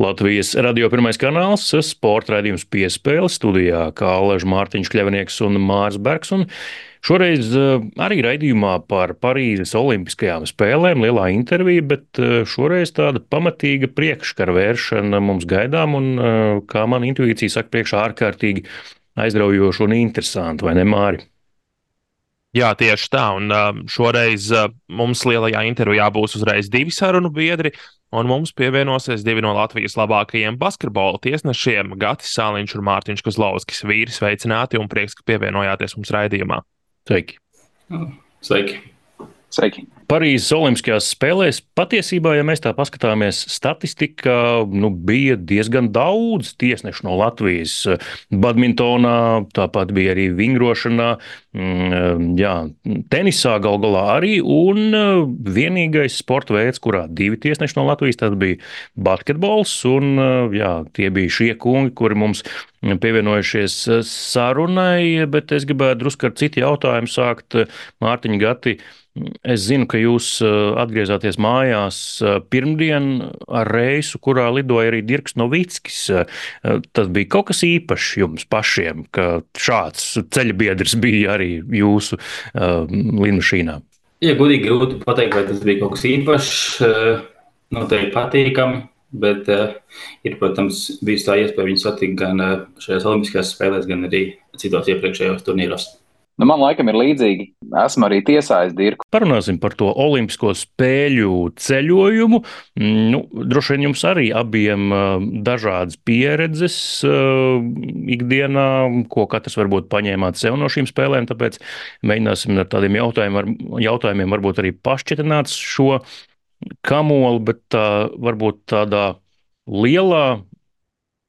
Latvijas radio pirmais kanāls, sporta raidījums Piespēle studijā, kā Alaž Mārtiņš Kļavnieks un Mārs Bergs. Un šoreiz arī raidījumā par Parīzes Olimpiskajām spēlēm lielā intervija, bet šoreiz tāda pamatīga priekškara vēršana mums gaidām un, kā man intuīcija saka, priekšā ārkārtīgi aizraujoši un interesanti, vai ne, Māri? Jā, tieši tā. Un šoreiz mums lielajā intervijā būs uzreiz divi sarunu biedri, un mums pievienosies divi no Latvijas labākajiem basketbola tiesnešiem - Gatis Sāliņš un Mārtiņš Kozlovskis. Vīri, sveicināti un prieks, ka pievienojāties mums raidījumā. Sveiki! Sveiki! Sveiki! Parīzes Olimpiskajās spēlēs patiesībā, ja mēs tā paskatāmies, statistikā bija diezgan daudz tiesnešu no Latvijas. Badmintonā, tāpat bija arī vingrošanā, jā, tenisā gal galā arī. Un vienīgais sporta veids, kurā divi tiesneši no Latvijas, tas bija basketbols. Un jā, tie bija šie kungi, kuri mums pievienojušies sarunai, bet es gribētu drusku ar citu jautājumu sākt. Mārtiņ, Gati, es zinu, ka jūs atgriezāties mājās pirmdien ar reisu, kurā lidoja arī Dirks Novickis. Tas bija kaut kas īpašs jums pašiem, ka šāds ceļabiedrs bija arī jūsu lidmašīnā. Ja godīgi grūti pateikt, vai tas bija kaut kas īpašs, noteikti patīkami, bet ir, protams, bijusi tā iespēja viņu satikt gan šajās Olimpiskajās spēlēs, gan arī citos iepriekšējos turnīros. Man laikam ir līdzīgi. Esmu arī tiesājis Dirku. Parunāsim par to Olimpisko spēļu ceļojumu. Droši vien jums arī abiem dažādas pieredzes ikdienā, ko katrs varbūt paņēmāt sev no šīm spēlēm, tāpēc mēģināsim ar tādiem jautājumiem varbūt arī pašķetināt šo kamoli, bet varbūt tādā lielā,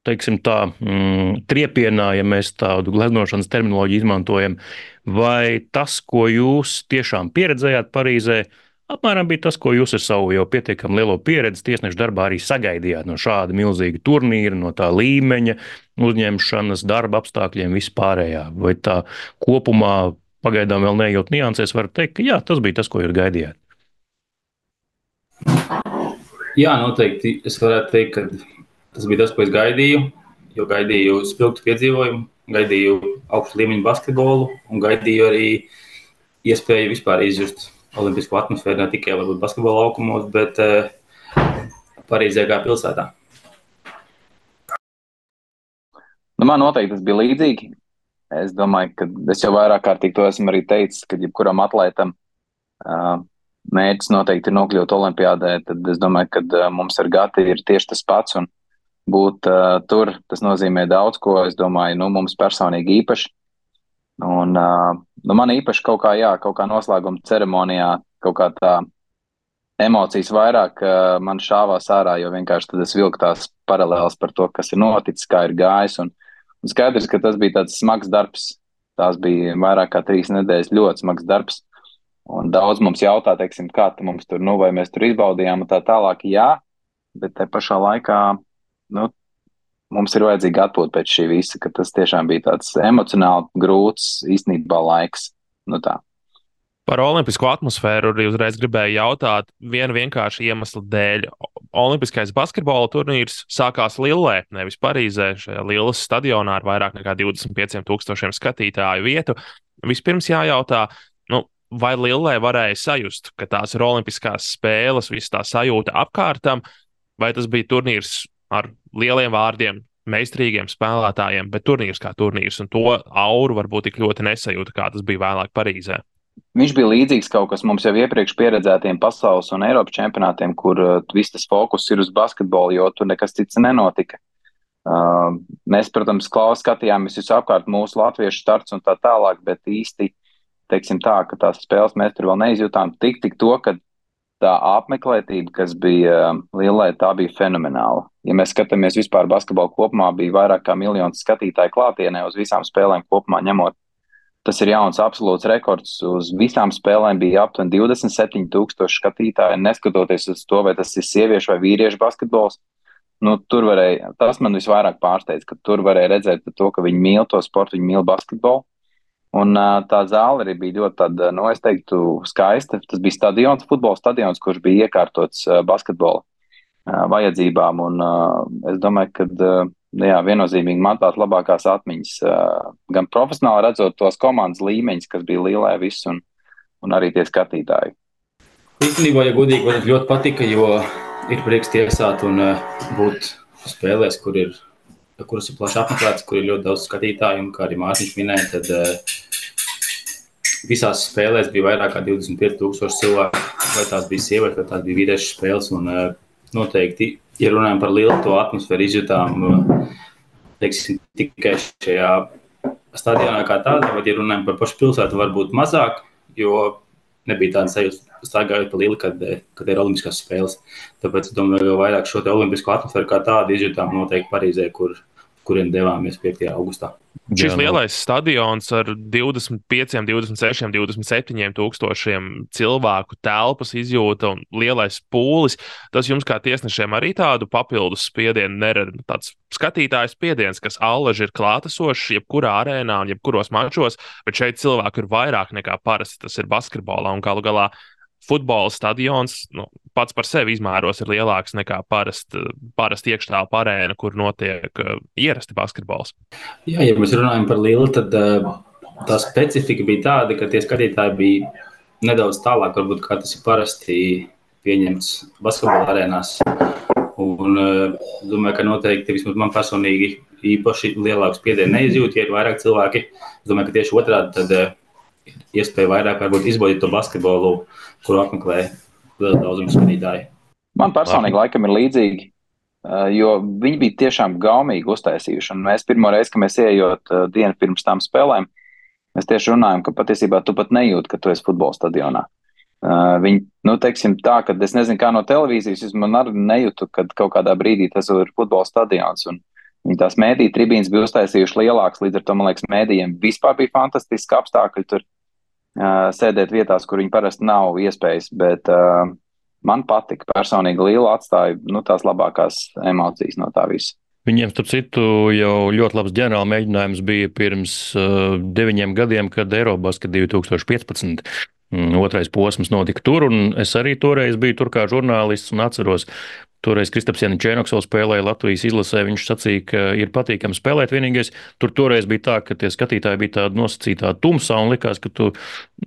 teiksim tā, triepienā, ja mēs tādu gleznošanas terminoloģiju izmantojam, vai tas, ko jūs tiešām pieredzējāt Parīzē, apmēram bija tas, ko jūs ar savu jau pietiekami lielo pieredzi tiesnešu darbā arī sagaidījāt no šāda milzīga turnīra, no tā līmeņa, uzņemšanas, darba apstākļiem, vispārējā? Vai tā kopumā pagaidām vēl neejot niansēs, var teikt, ka jā, tas bija tas, ko jūs gaidījāt? Jā, noteikti. Es varētu teikt, ka tas bija tas, ko es gaidīju, jo gaidīju spilgtu piedzīvojumu, gaidīju augstu līmeņu basketbolu un gaidīju arī iespēju vispār izjust olimpisko atmosfēru, ne tikai varbūt basketbola laukumos, bet Parīzē kā pilsētā. Man noteikti tas bija līdzīgi. Es domāju, ka es jau vairāk kārtīgi to esmu arī teicis, ka jebkuram atlētam mērķis noteikti ir nokļūt olimpiādē, tad es domāju, ka mums ar Gati ir tieši tas pats un būt tur, tas nozīmē daudz ko, es domāju, mums personīgi īpaši. Un man īpaši kaut kā noslēguma ceremonijā, kaut kā tā emocijas vairāk man šāvās ārā, jo vienkārši tad es vilku tās paralēlas par to, kas ir noticis, kā ir gājis. Un skaidrs, ka tas bija tāds smags darbs. Tās bija vairāk kā 3 nedēļas ļoti smags darbs. Un daudz mums jautā, teiksim, kā mums tur, vai mēs tur izbaudījām un tā tālāk, jā, bet te pašā laikā, mums ir vajadzīga atpūta pēc šī visa, ka tas tiešām bija tāds emocionāli grūts īstenībā laiks. Tā. Par olimpisko atmosfēru arī uzreiz gribēju jautāt vienu vienkāršu iemeslu dēļ. Olimpiskais basketbola turnīrs sākās Lillē, nevis Parīzē, šajā Lilles stadionā ar vairāk nekā 25,000 skatītāju vietu. Vispirms jājautā, vai Lillē varēja sajust, ka tās ir olimpiskās spēles, viss tā sajūta apkārtam, vai tas bija turnīrs ar lieliem vārdiem, meistarīgiem spēlētājiem, bet turnīrs kā turnīrs, un to auru varbūt tik ļoti nesajūta, kā tas bija vēlāk Parīzē. Viņš bija līdzīgs kaut kas mums jau iepriekš pieredzētiem pasaules un Eiropas čempionātiem, kur viss tas fokus ir uz basketbolu, jo tur nekas cits nenotika. Mēs, protams, skatījāmies visu apkārt mūsu latviešu starts un tā tālāk, bet īsti teiksim tā, ka tās spēles mēs tur vēl neizjūtām tik to, ka tā apmeklētība, kas bija Lillē, tā bija fenomenāla. Ja mēs skatāmies vispār basketbolu kopumā, bija vairāk kā 1 miljons skatītāju klātienē uz visām spēlēm kopumā ņemot. Tas ir jauns absolūts rekords. Uz visām spēlēm bija aptuveni 27,000 skatītāji, neskatoties uz to, vai tas ir sieviešu vai vīriešu basketbols. Tur varēja, tas man visvairāk pārsteidz, ka tur varēja redzēt to, ka viņi mīl to sportu, viņi mīl basketbolu. Un tā zāle arī bija ļoti tāda, es teiktu, skaista. Tas bija stadions, futbola stadions, kurš bija iekārtots basketbola vajadzībām. Un es domāju, ka viennozīmīgi man tās labākās atmiņas, gan profesionāli redzot tos komandas līmeņus, kas bija Līlē viss, un arī tie skatītāji. Īstenībā, ja godīgi, man ļoti patika, jo ir prieks tiesāt un būt spēlēs, kuras ir plaši apmeklētas, kur ir ļoti daudz skatītāju, un kā arī Mārtiņš minēja, tad visās spēlēs bija vairāk kā 25,000 cilvēku, vai tās bija sievietes, vai tās bija vīriešu spēles, un noteikti, ja runājam par lielu to atmosfēru, izjutām, teiksim, tikai šajā stadionā kā tādā, bet, ja runājam par pašu pilsētu, varbūt mazāk, jo nebija tāda sajūta, staigājot pa Lili, kad ir olimpiskās spēles. Tāpēc, es domāju, vēl vairāk šo te olimpisko atmosfēru kā tādu izjutām noteikti Parīzē, kuriem devāmies 5. augustā. Šis lielais stadions ar 25, 26, 27 tūkstošiem cilvēku telpas izjūta un lielais pūlis, tas jums kā tiesnešiem arī tādu papildus spiedienu nerada? Tāds skatītājs spiediens, kas allaži ir klātesošs jebkurā arēnā un jebkuros mačos, bet šeit cilvēku ir vairāk nekā parasti, tas ir basketbolā un galu galā futbola stadions pats par sevi izmēros ir lielāks nekā parasti iekštelpa arēna, kur notiek ierasti basketbols. Jā, ja mēs runājam par Lili, tad tā specifika bija tāda, ka tie skatītāji bija nedaudz tālāk, varbūt kā tas ir parasti pieņemts basketbola arēnās. Un domāju, ka noteikti vismaz man personīgi īpaši lielāku spiedienu neizjūt, ja ir vairāk cilvēki. Es domāju, ka tieši otrādi tad iespēja vairāk varbūt izbaudīt to basketbolu, kuru apmeklē liela daudzuma skatītāji. Man personīgi laikam ir līdzīgi, jo viņi bija tiešām gaumīgi uztaisījuši. Un mēs pirmo reizi, kad mēs ieejot dienu pirms tām spēlēm, mēs tieši runājam, ka patiesībā tu pat nejūti, ka tu esi futbola stadionā. Viņi, teiksim tā, ka es nezinu, kā no televīzijas, man arī nejūtu, kad kaut kādā brīdī tas ir futbola stadions. Un viņi tās mēdīju tribīnes bija uztaisījuši lielākas, līdz ar to, man liekas, mēdījiem vispār bija fantastiski apstākļi tur sēdēt vietās, kur viņi parasti nav iespējas, bet man patika personīgi Lila atstāja tās labākās emocijas no tā visa. Viņiem, starp citu, jau ļoti labs ģenerāla mēģinājums bija pirms 9 gadiem, kad Eirobasket 2015. Otrais posms notika tur, un es arī toreiz biju tur kā žurnālists un atceros, toreiz Kristaps Janičēnoks vēl spēlēja Latvijas izlasē, viņš sacīja, ka ir patīkami spēlēt. Vienīgais, tur toreiz bija tā, ka tie skatītāji bija tādi nosacītā tumsā un likās, ka tu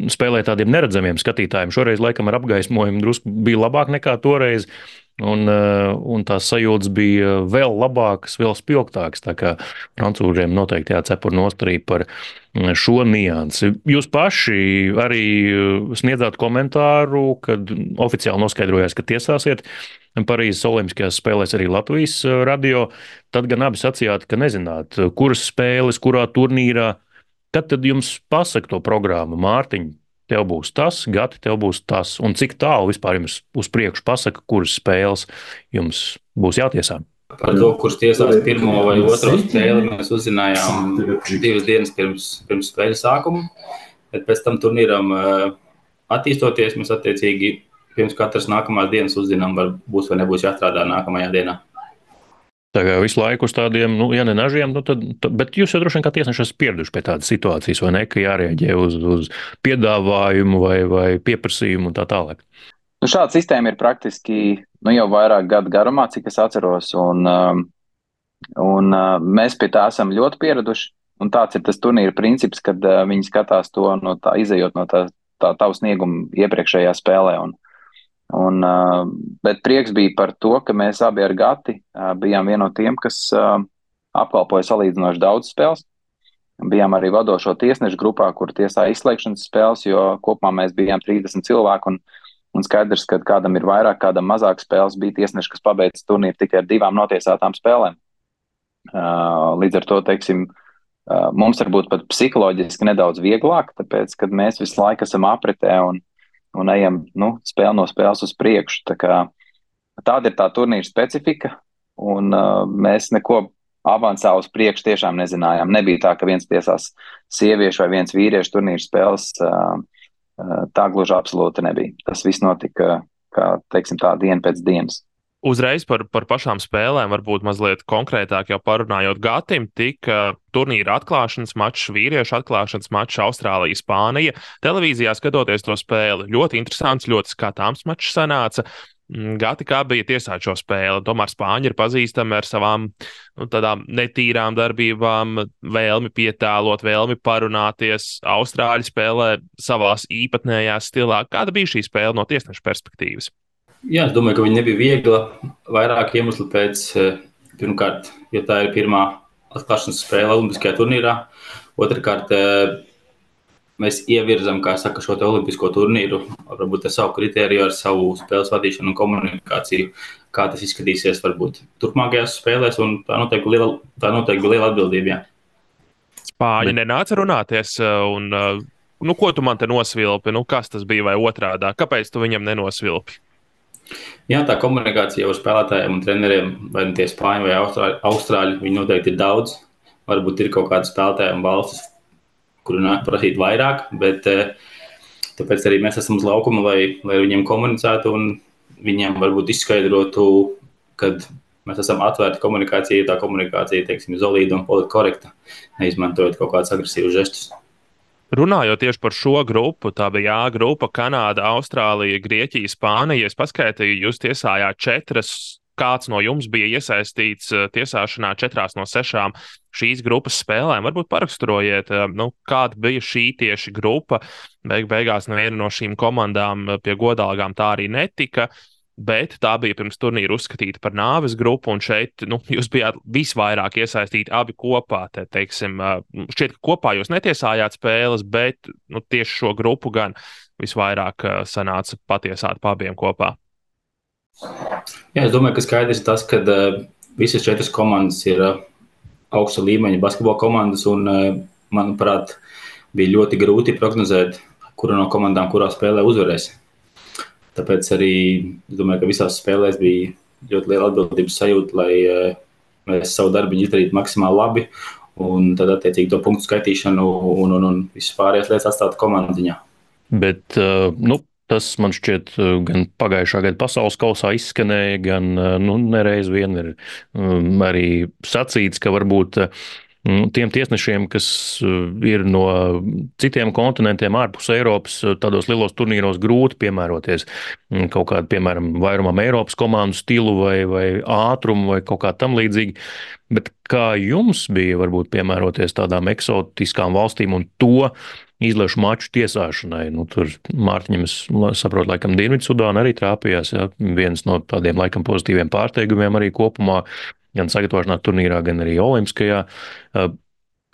spēlē tādiem neredzamiem skatītājiem. Šoreiz laikam ar apgaismojumu drusku bija labāk nekā toreiz. Un tās sajūtas bija vēl labākas, vēl spilgtākas. Tā kā francūžiem noteikti jācepur nost arī par šo niansi. Jūs paši arī sniedzāt komentāru, kad oficiāli noskaidrojās, ka tiesāsiet Parīzes Olimpiskajās spēlēs arī Latvijas radio. Tad gan abi sacījāt, ka nezināt, kuras spēles, kurā turnīrā. Kad tad jums pasaka to programmu, Mārtiņ? Tev būs tas, Gati, tev būs tas. Un cik tālu vispār jums uz priekšu pasaka, kuras spēles jums būs jātiesā? Par to, kurš tiesās pirmo vai otro spēli, mēs uzzinājām 2 dienas pirms spēles sākuma. Bet pēc tam turnīram attīstoties, mēs attiecīgi pirms katras nākamās dienas uzzinām, vai būs vai nebūs jāstrādā nākamajā dienā. Tā kā visu laiku uz tādiem, ja ne nažiem, bet jūs jau droši vien kā tiesneši esat pieraduši pie tādas situācijas, vai ne, ka jārēģē uz piedāvājumu vai pieprasījumu un tā tālāk. Šāda sistēma ir praktiski jau vairāk gadu garumā, cik es atceros, un mēs pie tā esam ļoti pieraduši. Un tāds ir tas turnīra princips, kad viņi skatās to izejot no tā tavu sniegumu iepriekšējā spēlē. Bet prieks bija par to, ka mēs abi ar Gati bijām vieni no tiem, kas apkalpoja salīdzinoši daudz spēles. Bijām arī vadošo tiesnešu grupā, kur tiesā izslēgšanas spēles, jo kopumā mēs bijām 30 cilvēku un skaidrs, ka kādam ir vairāk, kādam mazāk spēles, bija tiesneši, kas pabeidz turnīru tikai ar 2 notiesātām spēlēm. Līdz ar to, teiksim, mums varbūt pat psiholoģiski nedaudz vieglāk, tāpēc, kad mēs visu laiku esam apritē un ejam spēli no spēles uz priekšu. Tāda ir tā turnīra specifika, un mēs neko avansā uz priekšu tiešām nezinājām. Nebija tā, ka viens tiesās sieviešu vai viens vīriešu turnīra spēles, tā gluži absolūti nebija. Tas viss notika, kā teiksim, tā diena pēc dienas. Uzreiz par pašām spēlēm, varbūt mazliet konkrētāk jau parunājot Gatim, tika turnīra atklāšanas mačs, vīriešu atklāšanas mačs Austrālija, Spānija. Televīzijā skatoties to spēli, ļoti interesants, ļoti skatāms mačs sanāca. gatavi, kā bija tiesāt šo spēli. Tomēr spāņi ir pazīstami ar savām tādām netīrām darbībām, vēlmi pietēlot, vēlmi parunāties. Austrāļi spēlē savās īpatnējās stilā. Kāda bija šī spēle no tiesneša perspektīvas? Jā, es domāju, ka viņa nebija viegla. Vairāk iemeslu pēc, pirmkārt, jo tā ir pirmā atklāšanas spēle Olimpiskajā turnīrā. Otrakārt, mēs ievirzam, kā saka, šo te olimpisko turnīru, varbūt ar savu kritēriju, ar savu spēles vadīšanu un komunikāciju, kā tas izskatīsies varbūt turpmākajās spēlēs, un tā noteikti bija liela atbildība. Jā. Spāņi nenāca runāties, un ko tu man te nosvilpi? Kas tas bija vai otrādā? Kāpēc tu viņam nenosvilpi? Jā, tā komunikācija ar spēlētājiem un treneriem, vai tie spāņi vai austrāļi, viņi noteikti ir daudz. Varbūt ir kaut kādi spēlētāji un valstis, kuru nāk prasīt vairāk, bet tāpēc arī mēs esam uz laukuma, lai viņiem komunicētu un viņiem varbūt izskaidrotu, kad mēs esam atvērti komunikācijai, tā komunikācija, teiksim, zolīda un politkorekta, neizmantojot kaut kādus agresīvus žestus. Runājot tieši par šo grupu, tā bija A grupa, Kanāda, Austrālija, Grieķija, Spānija. Es paskaitīju, jūs tiesājāt 4. Kāds no jums bija iesaistīts tiesāšanā 4 no 6 šīs grupas spēlēm? Varbūt paraksturojiet, kāda bija šī tieši grupa. Beigās neviena no šīm komandām pie godalgām tā arī netika, bet tā bija pirms turnīra uzskatīta par nāves grupu, un šeit jūs bijāt visvairāk iesaistīti abi kopā. Šķiet, ka kopā jūs netiesājāt spēles, bet tieši šo grupu gan visvairāk sanāca patiesāt pa abiem kopā. Jā, es domāju, ka skaidrs ir tas, ka visas 4 komandas ir augsta līmeņa basketbola komandas, un, manuprāt, bija ļoti grūti prognozēt, kura no komandām kurā spēlē uzvarēs. Tāpēc arī es domāju, ka visās spēlēs bija ļoti liela atbildības sajūta, lai mēs savu darbiņu izdarītu maksimāli labi, un tad attiecīgi to punktu skaitīšanu un visas pārējās lietas atstātu komandu ziņā. Bet, tas man šķiet gan pagājušā gada pasaules kausā izskanēja, gan nereiz vien ir arī sacīts, ka varbūt tiem tiesnešiem, kas ir no citiem kontinentiem ārpus Eiropas, tādos lielos turnīros grūti piemēroties kaut kādu, piemēram, vairumam Eiropas komandu stilu vai ātrumu vai kaut kā tam līdzīgi. Bet kā jums bija varbūt piemēroties tādām eksotiskām valstīm un to izlešu maču tiesāšanai? Tur Mārtiņam, es saprotu, laikam Dienvidsudāna arī trāpījās, ja? Viens no tādiem laikam pozitīviem pārsteigumiem arī kopumā, gan sagatavošanā turnīrā, gan arī olimpiskajā.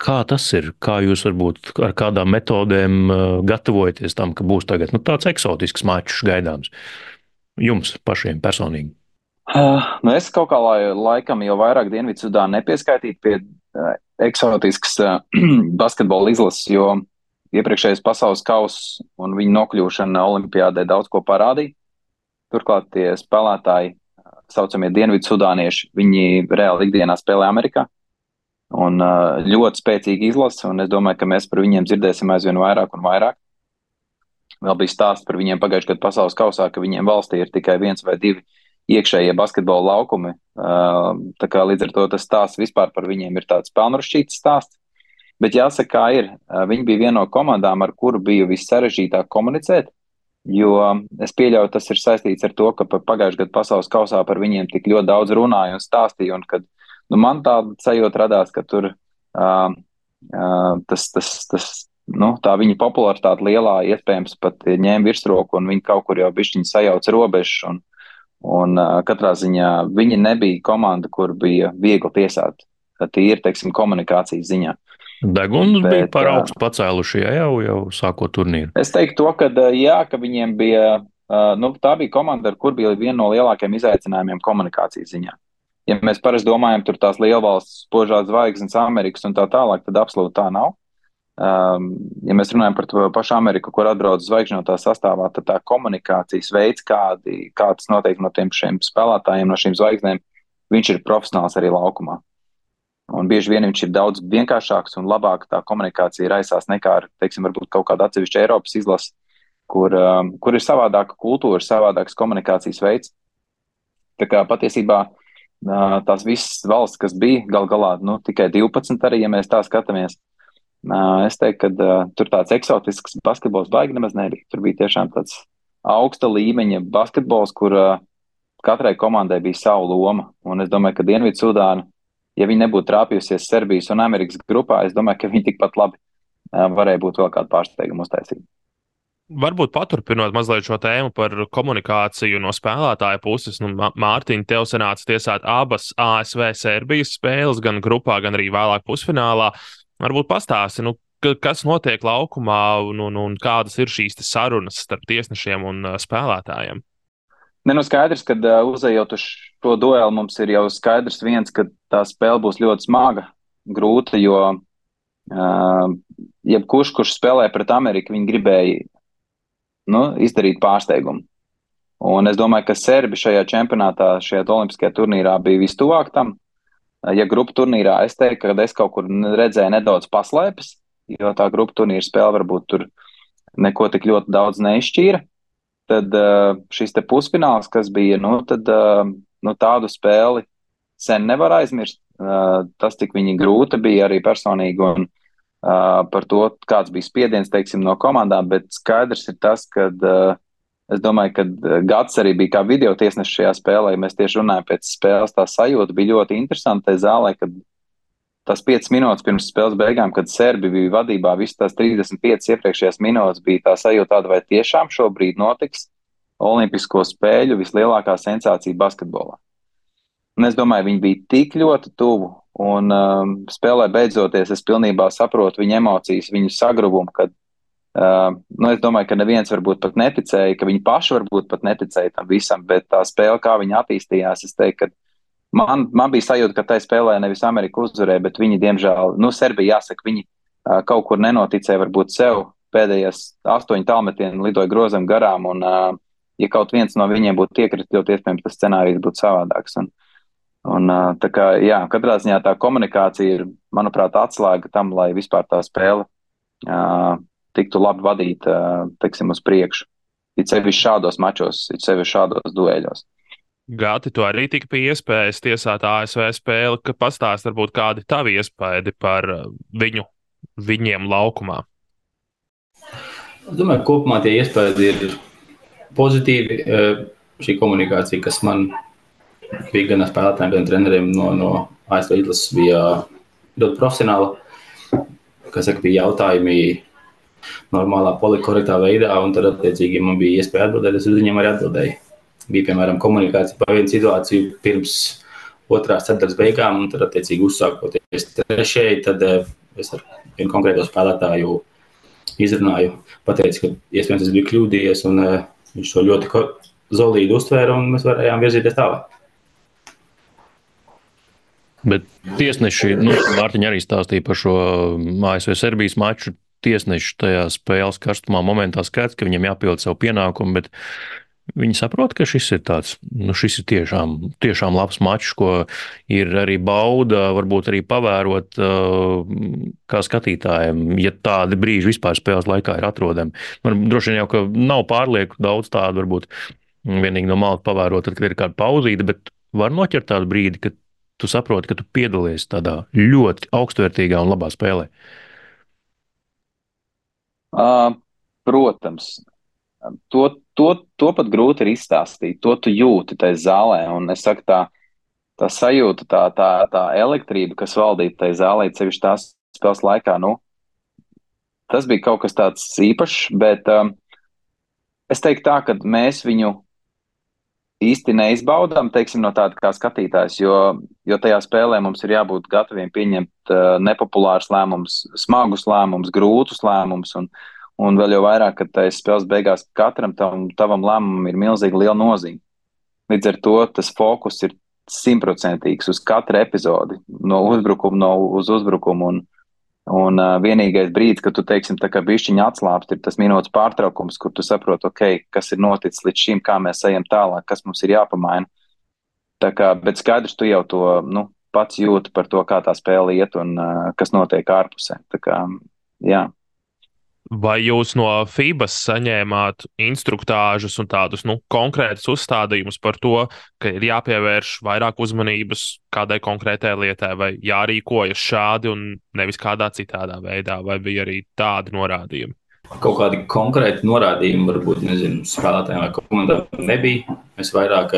Kā tas ir? Kā jūs varbūt ar kādām metodēm gatavojaties tam, ka būs tagad tāds eksotisks mačs gaidāms jums pašiem personīgi? Es kaut kā laikam jau vairāk Dienvidsudānu nepieskaitītu pie eksotisks basketbola izlases, jo iepriekšējais pasaules kauss un viņa nokļūšana olimpiādē daudz ko parādīja. Turklāt tie spēlētāji, saucamie dienvidsudānieši, viņi reāli ikdienā spēlē Amerikā. Un ļoti spēcīga izlase, un es domāju, ka mēs par viņiem dzirdēsim aizvien vairāk un vairāk. Vēl bija stāsts par viņiem pagājušajā gadu pasaules kausā, ka viņiem valstī ir tikai 1 vai 2 iekšējie basketbola laukumi. Tā kā līdz ar to tas stāsts vispār par viņiem ir tāds pelnrašķīts stāsts. Bet jāsaka, kā ir, viņi bija viena no komandām, ar kuru bija vissarežģītāk komunicēt. Jo es pieļauju, tas ir saistīts ar to, ka pagājušajā gadu pasaules kausā par viņiem tik ļoti daudz runāja un stāstīja, un kad man tāda sajūta radās, ka tur tā viņa popularitāte lielā iespējams pat ņēma virsroku, un viņi kaut kur jau bišķiņi sajauca robežas, un katrā ziņā viņi nebija komanda, kur bija viegli tiesāt, tīri, teiksim, komunikācijas ziņā. Deguns bija par augstu pacēluši jau sākot turnīru. Es teiktu to, ka viņiem bija, tā bija komanda, ar kur bija viena no lielākajiem izaicinājumiem komunikācijas ziņā. Ja mēs parasti domājam, tur tās lielvalstis, spožās zvaigznes, Amerikas un tā tālāk, tad absolūti tā nav. Ja mēs runājam par to pašu Ameriku, kur atbrauc zvaigžņotā sastāvā, tad tā komunikācijas veids, kāds notiek no šiem spēlētājiem, no šīm zvaigznēm, viņš ir profesionāls arī laukumā. Un bieži vien viņš ir daudz vienkāršāks un labāk tā komunikācija raisās nekā ar, teiksim, varbūt kaut kāda atsevišķa Eiropas izlase, kur ir savādāka kultūra, savādāks komunikācijas veids. Tā kā patiesībā tās visas valsts, kas bija gal galā, tikai 12 arī, ja mēs tā skatāmies, es teiktu, ka tur tāds eksotisks basketbols baigi nemaz nebija. Tur bija tiešām tāds augsta līmeņa basketbols, kur katrai komandai bija sava loma. Un es domāju, ka Dienvidsudāna, ja viņi nebūtu trāpījusies Serbijas un Amerikas grupā, es domāju, ka viņi tikpat labi varēja būt vēl kādu pārsteigumu uztaisīt. Varbūt paturpinot mazliet šo tēmu par komunikāciju no spēlētāja puses. Mārtiņ, tev sanāca tiesāt abas ASV-Serbijas spēles, gan grupā, gan arī vēlāk pusfinālā. Varbūt pastāsti, kas notiek laukumā un kādas ir šīs sarunas starp tiesnešiem un spēlētājiem? Skaidrs, ka uzejot uz šo dueli mums ir jau skaidrs viens, ka tā spēle būs ļoti smaga, grūta, jo jebkurš, kurš spēlē pret Ameriku, viņi gribēja izdarīt pārsteigumu. Un es domāju, ka Serbi šajā čempionātā, šajā olimpiskajā turnīrā bija vistuvāk tam. Ja grupu turnīrā es teiktu, ka es kaut kur redzēju nedaudz paslēpes, jo tā grupu turnīra spēle varbūt tur neko tik ļoti daudz neizšķīra. Tad šis te pusfināls, kas bija, tādu spēli sen nevar aizmirst. Tas tik viņi grūta bija arī personīgi un par to, kāds bija spiediens, teiksim, no komandām, bet skaidrs ir tas, ka es domāju, ka Gats arī bija kā video tiesnesis šajā spēlē. Mēs tieši runājam pēc spēles, tā sajūta bija ļoti interesanta tajā zālē, kad tas 5 minūtes pirms spēles beigām, kad Serbi bija vadībā, visas tās 35 iepriekšējās minūtes bija tā sajūta tāda, vai tiešām šobrīd notiks Olimpisko spēļu vislielākā sensācija basketbolā. Un es domāju, viņi bija tik ļoti tuvu. Un spēlē beidzoties, es pilnībā saprotu viņu emocijas, viņu sagrubumu, kad es domāju, ka neviens varbūt pat neticēja, ka viņi paši varbūt pat neticēja tam visam, bet tā spēle, kā viņi attīstījās, es teiktu, ka man bija sajūta, ka tai spēlē nevis Amerika uzvarēja, bet viņi, diemžēl, Serbija jāsaka, viņi kaut kur nenoticēja varbūt sev, pēdējās 8 tālmetieni lidoja grozam garām, un ja kaut viens no viņiem būtu iekritis, ļoti iespējams, tas scenārijs būtu savādāks. Un tā kā, jā, katrā ziņā tā komunikācija ir, manuprāt, atslēga tam, lai vispār tā spēle tiktu labi vadīta, teiksim, uz priekšu. It sevišķi šādos mačos, it sevišķi šādos dueļos. Gati, tu arī tika pie iespējas tiesāt ASV spēli, ka pastāst varbūt kādi tavi iespēdi par viņiem laukumā? Es domāju, kopumā tie iespējas ir pozitīvi. Šī komunikācija, kas man bija gan ar spēlētājiem, gan treneriem no ASV izlases, bija ļoti profesionāla. Kā saka, bija jautājumi normālā, polikorektā veidā, un tad, attiecīgi, ja man bija iespēja atbildēt, es uz viņiem arī atbildēju. Bija, piemēram, komunikācija par vienu situāciju pirms otrās ceturtdaļas beigām, un tad, attiecīgi, uzsākoties trešajai, tad es ar vienu konkrēto spēlētāju izrunāju, pateicu, ka iespējams es biju kļūdījies, un viņš to ļoti zolīdi uztvēra, un mēs varējām virzīties tālāk. Bet tiesneši, Mārtiņa arī stāstīja par šo ASV-Serbijas maču. Tiesneši tajā spēles karstumā momentā skats, ka viņiem jāpild savu pienākumu, bet viņi saprot, ka šis ir tāds, šis ir tiešām labs mačs, ko ir arī bauda, varbūt arī pavērot kā skatītājiem, ja tādi brīži vispār spēles laikā ir atrodami. Man droši vien jau, ka nav pārlieku daudz tādu, varbūt vienīgi no malas pavērot, tad, kad ir kāda pauzīte, bet var noķert tādu brīdi, kad tu saproti, ka tu piedalies tādā ļoti augstvērtīgā un labā spēlē. Protams, to pat grūti ir izstāstīt, to tu jūti tajā zālē, un es saku tā sajūta, tā elektrība, kas valdīja tajā zālē, sevišķi tās spēles laikā, tas bija kaut kas tāds īpašs, bet es teiktu tā, ka mēs viņu īsti neizbaudām, teiksim, no tāda kā skatītājs, jo tajā spēlē mums ir jābūt gataviem pieņemt nepopulārus lēmumus, smagus lēmumus, grūtus lēmumus, un vēl jau vairāk, ka tajā spēles beigās katram tavam lēmumam ir milzīgi liela nozīme. Līdz ar to tas fokus ir 100% uz katru epizodi, no uzbrukuma uz uzbrukumu, un vienīgais brīdis, kad tu, teiksim, tā kā bišķiņa atslāpst, ir tas minūtes pārtraukums, kur tu saproti, kas ir noticis līdz šim, kā mēs ejam tālāk, kas mums ir jāpamaina. Bet skaidrs, tu jau to pats jūti par to, kā tā spēle iet un kas notiek ārpusē. Jā. Vai jūs no FIBAS saņēmāt instruktāžus un tādus konkrētus uzstādījumus par to, ka ir jāpievērš vairāk uzmanības kādai konkrētai lietai, vai jārīkojas šādi un nevis kādā citādā veidā, vai bija arī tādi norādījumi? Kaut kādi konkrēti norādījumi, varbūt, spēlētājiem vai komandām nebija. Mēs vairāk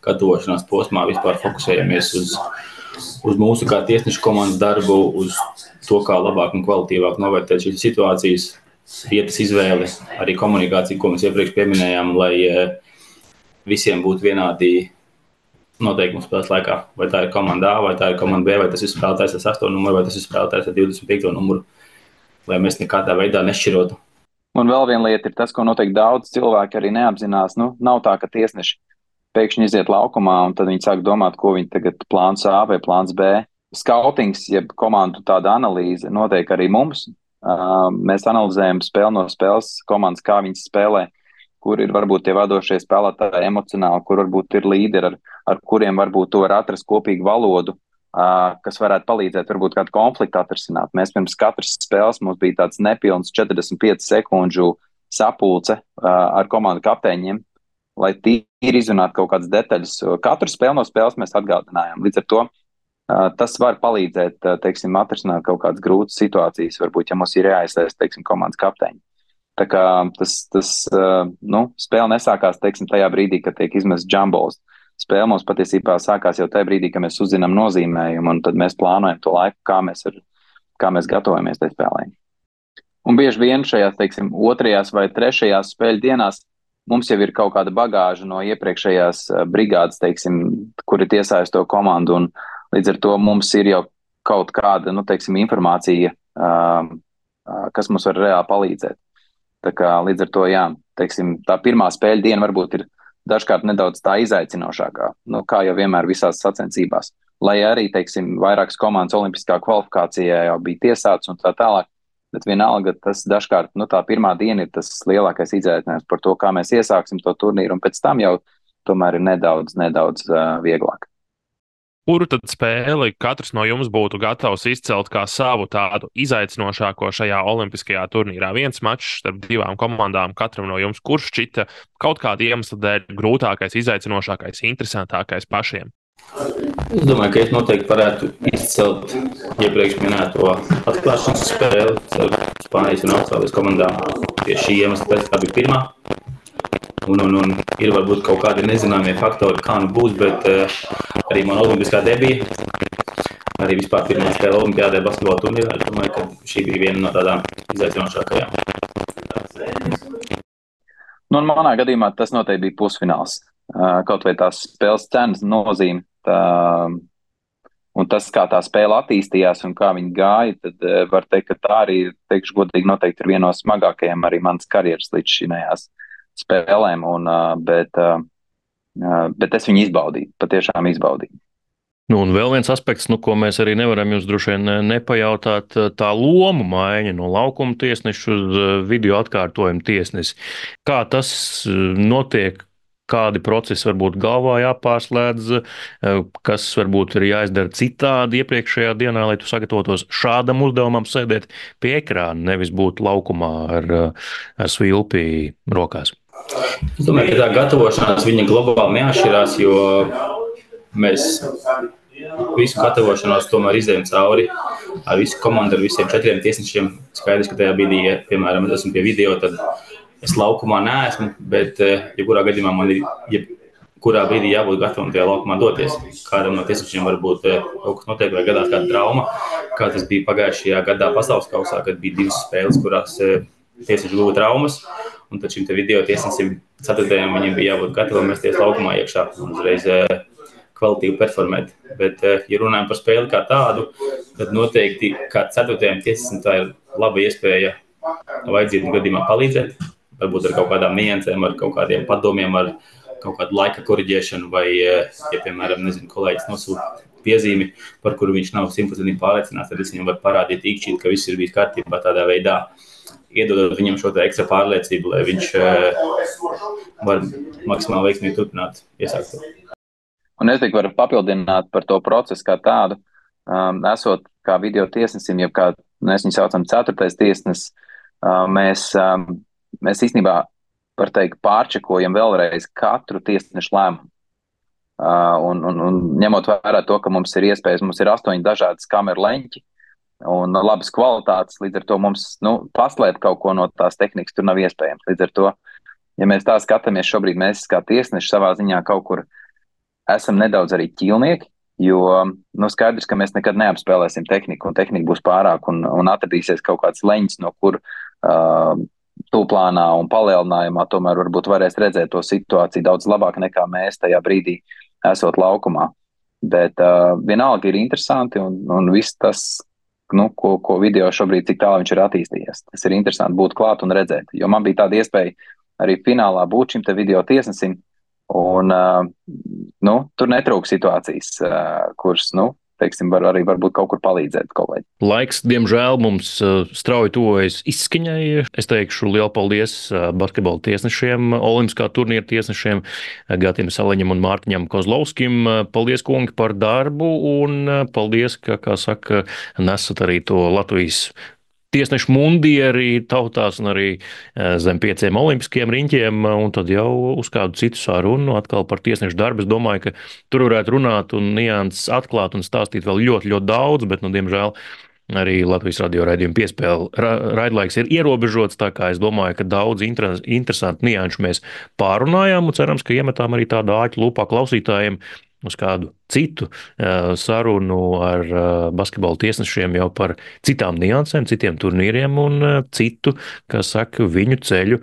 gatavošanās posmā vispār fokusējamies uz mūsu kā tiesnešu komandas darbu, uz to, kā labāk un kvalitīvāk novērtēt šīs situācijas, vietas izvēli, arī komunikāciju, ko mēs iepriekš pieminējām, lai visiem būtu vienādi noteikumi spēles laikā. Vai tā ir komanda A, vai tā ir komanda B, vai tas ir spēlētājs ar 8 numuru, vai tas ir spēlētājs ar 25 numuru, lai mēs nekādā veidā nešķirotu. Un vēl viena lieta ir tas, ko noteikti daudz cilvēki arī neapzinās. Nav tā, ka tiesneši pēkšņi iziet laukumā un tad viņi sāk domāt, ko viņi tagad plāns A vai plāns B. Skautings, jeb komandu tāda analīze notiek arī mums. Mēs analizējam spēli no spēles komandas, kā viņas spēlē, kur ir varbūt tie vadošie spēlētāji emocionāli, kur varbūt ir līderi, ar kuriem varbūt tu var atrast kopīgu valodu, kas varētu palīdzēt varbūt kādu konfliktu atrisināt. Mēs pirms katras spēles mums bija tāds nepilns 45 sekundžu sapulce ar komandu kapteiņiem, lai tīri izrunātu kaut kādas detaļas. Katru spēli no spēles mēs atgādinājām. Līdz ar to tas var palīdzēt, teiksim, atrisināt kaut kādas grūtas situācijas, varbūt, ja mums ir jāiesaist, teiksim, komandas kapteiņi. Tā kā spēle nesākās, teiksim, tajā brīdī, kad tiek izmests jumballs. Spēle mums patiesībā sākās jau tajā brīdī, kad mēs uzzinām nozīmējumu, un tad mēs plānojam to laiku, kā mēs gatavojamies tai spēlē. Un bieži vien šajās, teiksim, 2. vai 3. spēļu dienās mums jau ir kaut kāda bagāža no iepriekšējās brigādes, teiksim, kur ir iesaistīto komandu, un līdz ar to mums ir jau kaut kāda, teiksim, informācija, kas mums var reāli palīdzēt. Tā kā līdz ar to, jā, teiksim, tā pirmā spēļu diena varbūt ir dažkārt nedaudz tā izaicinošākā, kā jau vienmēr visās sacensībās. Lai arī, teiksim, vairākas komandas olimpiskā kvalifikācijā jau bija tiesāts un tā tālāk, bet vienalga tas dažkārt, tā pirmā diena ir tas lielākais izaicinājums par to, kā mēs iesāksim to turnīru, un pēc tam jau tomēr ir nedaudz vieglāk. Kuru tad spēli katrs no jums būtu gatavs izcelt kā savu tādu izaicinošāko šajā olimpiskajā turnīrā? Viens mačs starp 2 komandām katram no jums, kurš šķita kaut kāda iemesla dēļ grūtākais, izaicinošākais, interesantākais pašiem? Es domāju, ka es noteikti varētu izcelt iepriekš minēto atklāšanas spēli ar Spānijas un Austrālijas komandām. Pie šī iemesla pēc tā bija pirmā. Un ir varbūt kaut kādi nezināmie faktori, kā būs, bet arī man olimpiskā debija, arī vispār pirmā spēle olimpiādē basketbola turnīrā, es domāju, ka šī bija viena no tādām izaicinošākajām. Un manā gadījumā tas noteikti bija pusfināls. Kaut vai tās spēles cenas nozīme, un tas, kā tā spēle attīstījās un kā viņi gāja, tad var teikt, ka tā arī, teikšu godīgi, noteikti ir viena no smagākajām arī manas karjeras līdz šinējās spēlēm, bet es viņu izbaudīju, patiešām izbaudīju. Un vēl viens aspekts, ko mēs arī nevaram jums droši vien nepajautāt, tā lomu maiņa no laukuma tiesneša uz video atkārtojumu tiesnesi. Kā tas notiek? Kādi procesi varbūt galvā jāpārslēdz, kas varbūt ir jāizdara citādi iepriekšējā dienā, lai tu sagatavotos šādam uzdevumam sēdēt pie ekrāna, nevis būt laukumā ar svilpi rokās? Es domāju, ka tā gatavošanās viņa globāli neatšķirās, jo mēs visu gatavošanos tomēr izējām cauri ar visu komandu, ar visiem 4 tiesnešiem. Skaidrs, ka tajā brīdī, ja, piemēram, es esmu pie video, tad es laukumā neesmu, bet jebkurā gadījumā man ir jebkurā brīdī jābūt gatavam tajā laukumā doties. Kādam no tiesnešiem varbūt kaut kas notiek vai gadās kāda trauma, kā tas bija pagājušajā gadā pasaules kausā, kad bija 2 spēles, kurās tiesneši guva traumas, un tad šim te video tiesnesim 4. viņiem bija jābūt gatavam mesties laukumā iekšā un uzreiz kvalitīvi performēt. Bet, ja runājam par spēli kā tādu, tad noteikti kā 4. tiesnesim tā ir laba iespēja vajadzību gadījumā palīdzēt. Varbūt ar kaut kādām niansēm, ar kaut kādiem padomiem, ar kaut kādu laika koriģēšanu vai, ja, piemēram, kolēģis nosūta piezīmi, par kuru viņš nav 100% pārliecināts, tad es viņam varu parādīt īkšķīt, ka viss ir bijis kārtībā tādā veidā, iedodot viņam šo ekstra pārliecību, lai viņš var maksimāli veiksmīgi turpināt iesākt. Un es tikai varu papildināt par to procesu kā tādu, esot kā video tiesnesim, jeb kā mēs viņu saucam 4. tiesnes, mēs īstenībā, var teikt, pārčekojam vēlreiz katru tiesnešu lēmumu. Un ņemot vērā to, ka mums ir iespējas, mums ir 8 dažādas kameru leņķi un labas kvalitātes, līdz ar to mums paslēpt kaut ko no tās tehnikas tur nav iespējams. Līdz ar to, ja mēs tā skatāmies šobrīd, mēs kā tiesneši savā ziņā kaut kur esam nedaudz arī ķīlnieki, jo skaidrs, ka mēs nekad neapspēlēsim tehniku, un tehnika būs pārāk, un atradīsies kaut kāds leņķis, no kur tūplānā un palielinājumā tomēr varbūt varēs redzēt to situāciju daudz labāk nekā mēs tajā brīdī esot laukumā. Bet vienalga ir interesanti, un viss tas, ko video šobrīd, cik tālu viņš ir attīstījies. Tas ir interesanti būt klāt un redzēt, jo man bija tāda iespēja arī finālā būt šim te video tiesnesim, un tur netrūk situācijas, kuras, teiksim, var arī varbūt kaut kur palīdzēt kolēģi. Laiks, diemžēl, mums strauji tuvojas izskaņai. Es teikšu lielu paldies basketbola tiesnešiem, olimpiskā turnīra tiesnešiem, Gatim Saleņam un Mārtiņam Kozlovskim. Paldies, kungi, par darbu, un paldies, ka, kā saka, nesat arī to Latvijas tiesnešu mundieri tautās un arī zem 5 olimpiskiem riņķiem, un tad jau uz kādu citu sarunu atkal par tiesnešu darbu. Es domāju, ka tur varētu runāt un nianses atklāt un stāstīt vēl ļoti, ļoti daudz, bet, diemžēl, arī Latvijas radio raidījuma piespēle raidlaiks ir ierobežots, tā kā es domāju, ka daudz interesantu nianšu mēs pārunājām, un cerams, ka iemetām arī tādu āķu lupā klausītājiem uz kādu citu sarunu ar basketbola tiesnešiem jau par citām niansēm, citiem turnīriem un citu, kas saka, viņu ceļu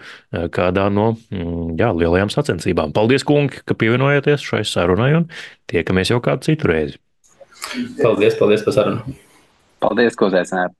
kādā no lielajām sacensībām. Paldies, kungi, ka pievienojāties šai sarunai, un tiekamies jau kādu citu reizi. Paldies par sarunu. Paldies, ko uzaicinājāt.